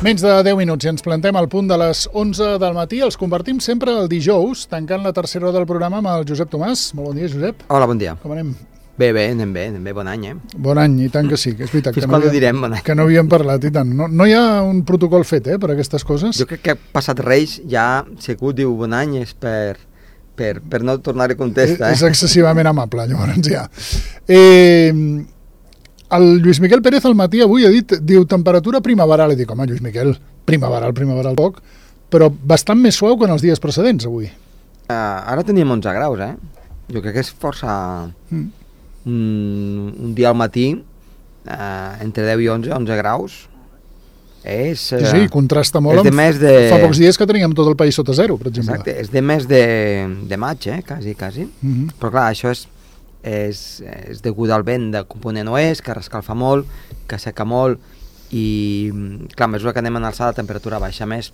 Menys de 10 minuts i ens plantem al punt de les 11 del matí. Els convertim sempre el dijous, tancant la tercera hora del programa amb el Josep Tomàs. Molt bon dia, Josep. Hola, bon dia. Com anem? Bé, anem bé, bon any, Bon any, i tant que sí, que és veritat. Fins quan ho direm, bon any? Que no havíem parlat, i tant. No hi ha un protocol fet, per aquestes coses? Jo crec que passat Reis ja, si algú diu bon any és per no tornar-hi a contestar. És excessivament amable, llavors ja. El Lluís Miquel Pérez al matí avui ha dit, diu, temperatura primaveral. I dic, home, Lluís Miquel, primaveral poc, però bastant més suau que en els dies precedents avui. Ara teníem 11 graus, Jo crec que és força... Un dia al matí, entre 10 i 11 graus, Sí, contrasta molt amb fa pocs dies que teníem tot el país sota zero, per exemple. Exacte, és de mes de maig, quasi. Però clar, això és degut al vent de component oest, que rescalfa molt, que seca molt, i clar, a mesura que anem en alçada la temperatura baixa més,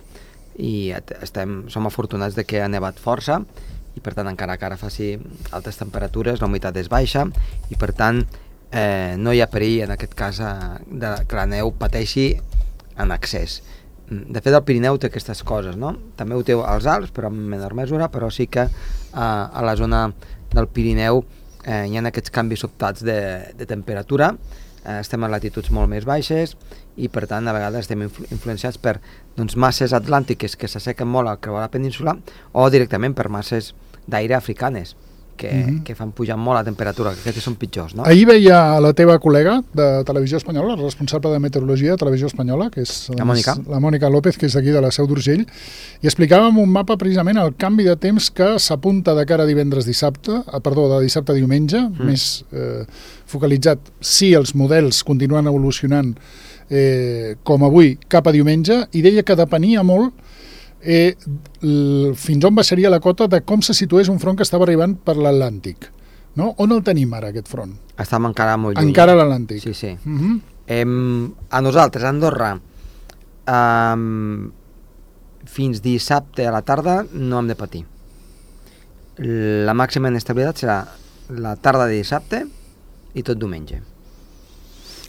i som afortunats de que ha nevat força, i per tant encara que ara faci altes temperatures la humitat és baixa i per tant no hi ha perill en aquest cas que la neu pateixi en excés. De fet el Pirineu té aquestes coses, no? També ho té als Alps però en menor mesura, però sí que a la zona del Pirineu hi ha aquests canvis sobtats de temperatura, estem en latituds molt més baixes i per tant a vegades estem influenciats per masses atlàntiques que s'assequen molt al creuar la península o directament per masses d'aire africanes que fan pujar molt la temperatura, que aquests són pitjors, no? Ahir veia la teva col·lega de Televisió Espanyola, la responsable de meteorologia de Televisió Espanyola, que és la Mònica López, que és d'aquí de la Seu d'Urgell, i explicava amb un mapa precisament el canvi de temps que s'apunta de cara a de dissabte a diumenge, més focalitzat si els models continuen evolucionant com avui cap a diumenge, i deia que depenia molt fins on baixaria la cota de com se situés un front que estava arribant per l'Atlàntic, no? On el tenim ara, aquest front? Estem encara molt lluny. Encara a l'Atlàntic. Sí. A nosaltres, a Andorra, fins dissabte a la tarda no hem de patir. La màxima inestabilitat serà la tarda de dissabte i tot diumenge.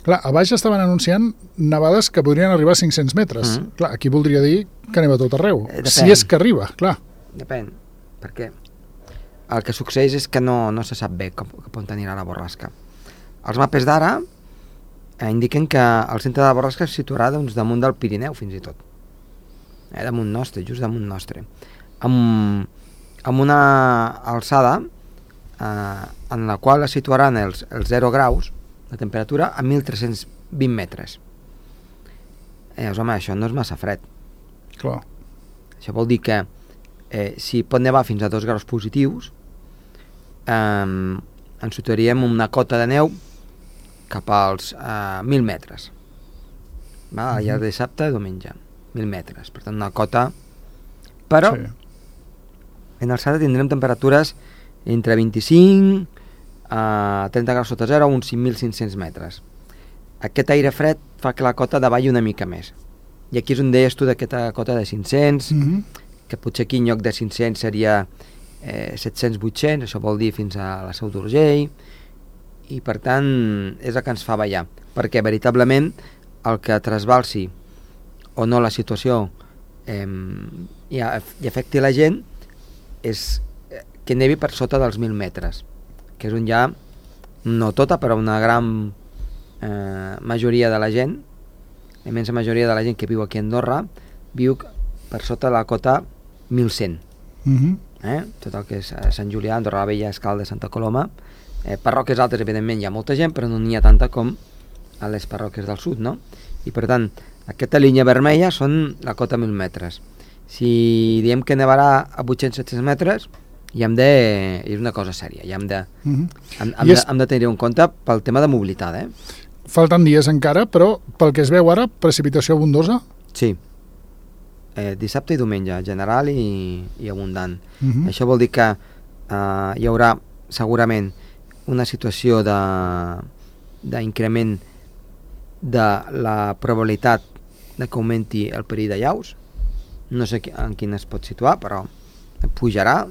Clar, a baix estaven anunciant nevades que podrien arribar a 500 metres. Clar, aquí voldria dir que neva tot arreu. Si és que arriba, clar. Depèn, perquè el que succeeix és que no se sap bé cap on anirà la borrasca. Els mapes d'ara indiquen que el centre de la borrasca es situarà damunt del Pirineu, fins i tot. Damunt nostre, just damunt nostre. Amb una alçada en la qual es situaran els 0 graus de temperatura a 1.320 metres. Home, això no és massa fred. Clar. Això vol dir que si pot nevar fins a 2 graus positius, ens situaríem una cota de neu cap als 1.000 metres. Al llarg de dissabte i diumenge. 1.000 metres. Per tant, una cota... Però en alçada tindrem temperatures entre 25 a 30 graus sota zero, uns 5.500 metres. Aquest aire fred fa que la cota davalli una mica més. I aquí és on deies tu d'aquesta cota de 500, que potser aquí en lloc de 500 seria 700-800, això vol dir fins a la Seu d'Urgell, i per tant és el que ens fa ballar, perquè veritablement el que trasbalsi o no la situació i afecti la gent és que nevi per sota dels 1.000 metres, que és on ja, no tota, però una gran majoria de la gent, la immensa majoria de la gent que viu aquí a Andorra, viu per sota de la cota 1.100. Tot el que és Sant Julià, Andorra la Vella, Escaldes, Santa Coloma. Parròquies altres, evidentment, hi ha molta gent, però no n'hi ha tanta com a les parròquies del sud, no? I per tant, aquesta línia vermella són la cota 1.000 metres. Si diem que nevarà a 800-700 metres, és una cosa sèria, hem de tenir en compte pel tema de mobilitat. Falten dies encara, però pel que es veu ara, precipitació abundosa? Sí, dissabte i diumenge, general i abundant. Això vol dir que hi haurà segurament una situació d'increment de la probabilitat de que augmenti el perill de llaus. No sé en quin es pot situar, però pujarà.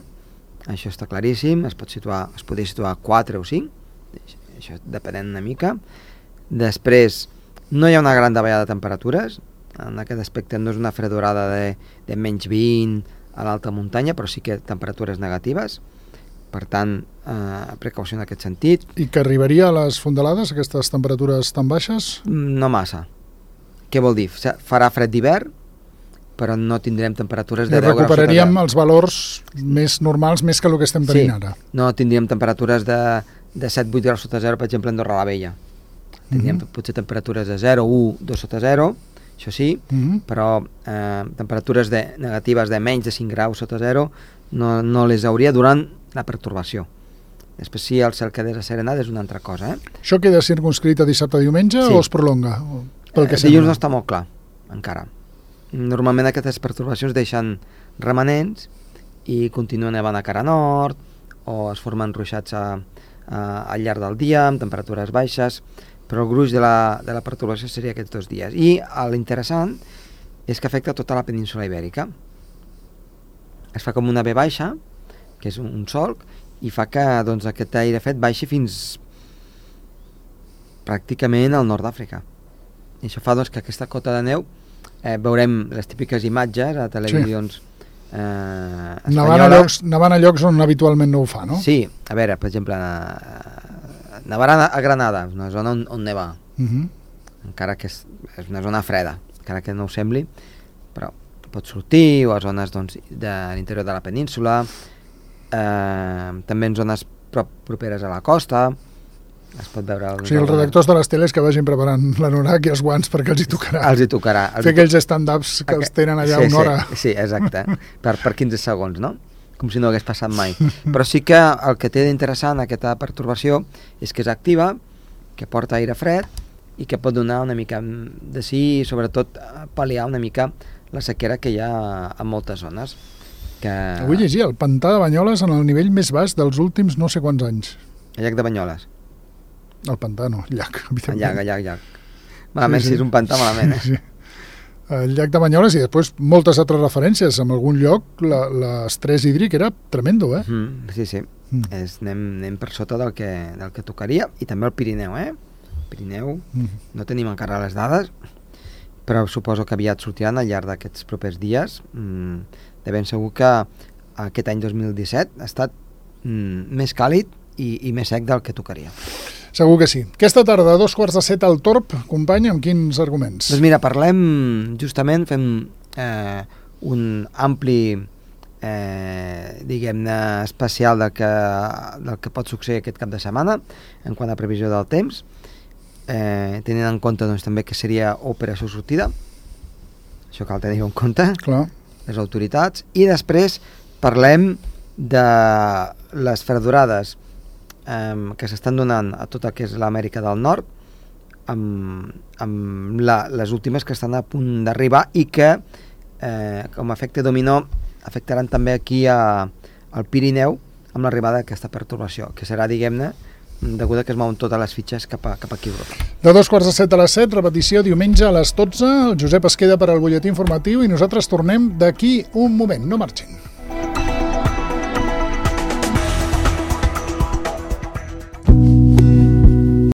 Això està claríssim, es podria situar a 4 o 5, això depenent una mica. Després, no hi ha una gran davallada de temperatures, en aquest aspecte no és una fredorada de menys 20 a l'alta muntanya, però sí que temperatures negatives, per tant, precaució en aquest sentit. I que arribaria a les fondalades, aquestes temperatures tan baixes? No massa. Què vol dir? Farà fred d'hivern, però no tindrem temperatures de 10 graus. Recuperaríem els valors més normals, més que el que estem tenint ara. No tindríem temperatures de 7-8 graus sota zero, per exemple, a Andorra la Vella. Tindríem potser temperatures de 0, 1, 2 sota zero, això sí, però temperatures negatives de menys de 5 graus sota zero no les hauria durant la pertorbació. Després, si el cel quedés asserenat, és una altra cosa. Això queda circunscrit a dissabte-diumenge o es prolonga? Dilluns no està molt clar, encara. Normalment aquestes pertorbacions deixen remanents i continuen nevant a cara nord o es formen ruixats al llarg del dia amb temperatures baixes, però el gruix de la pertorbació seria aquests 2 dies. I l'interessant és que afecta tota la península ibèrica. Es fa com una V baixa, que és un solc, i fa que doncs, aquest aire fred baixi fins pràcticament al nord d'Àfrica. I això fa doncs, que aquesta cota de neu veurem les típiques imatges a televisions espanyoles. Nevant a llocs on habitualment no ho fa, no? Sí, a veure, per exemple, nevarà a Granada, una zona on neva, encara que és una zona freda, encara que no ho sembli, però pot sortir, o a zones doncs, de l'interior de la península, també en zones properes a la costa, es pot veure... O sigui, els redactors de les teles que vagin preparant l'anorac i els guants perquè els hi tocarà. Els hi tocarà. Fer aquells stand-ups que els tenen allà una hora. Sí, exacte, per 15 segons, no? Com si no hagués passat mai. Però sí que el que té d'interessant aquesta pertorbació és que és activa, que porta aire fred i que pot donar una mica de sí i sobretot pal·liar una mica la sequera que hi ha en moltes zones. Vull llegir el pantà de Banyoles en el nivell més baix dels últims no sé quants anys. El llac de Banyoles. El pantà no, el llac. El llac. Malament, si és un pantà, malament. Sí. El llac de Banyoles i després moltes altres referències. En algun lloc l'estrès hídric era tremendo, Sí. Anem per sota del que tocaria, i també el Pirineu, Pirineu, no tenim encara les dades, però suposo que aviat sortiran al llarg d'aquests propers dies. De ben segur que aquest any 2017 ha estat més càlid i més sec del que tocaria. Segur que sí. Aquesta tarda, a 6:45 al Torb, company, amb quins arguments? Doncs mira, fem un ampli, diguem-ne, especial del que pot succeir aquest cap de setmana en quant a previsió del temps, tenint en compte doncs, també que seria operació sortida, això cal tenir en compte, clar, les autoritats, i després parlem de les fredorades que s'estan donant a tot el que és l'Amèrica del Nord, amb les últimes que estan a punt d'arribar i que com a efecte dominó afectaran també aquí al Pirineu amb l'arribada d'aquesta pertorbació, que serà, diguem-ne, deguda que es mouen totes les fitxes cap aquí a Europa. De 6:45 a les 7, repetició diumenge a les 12. El Josep es queda per al butlletí informatiu i nosaltres tornem d'aquí un moment. No marxin.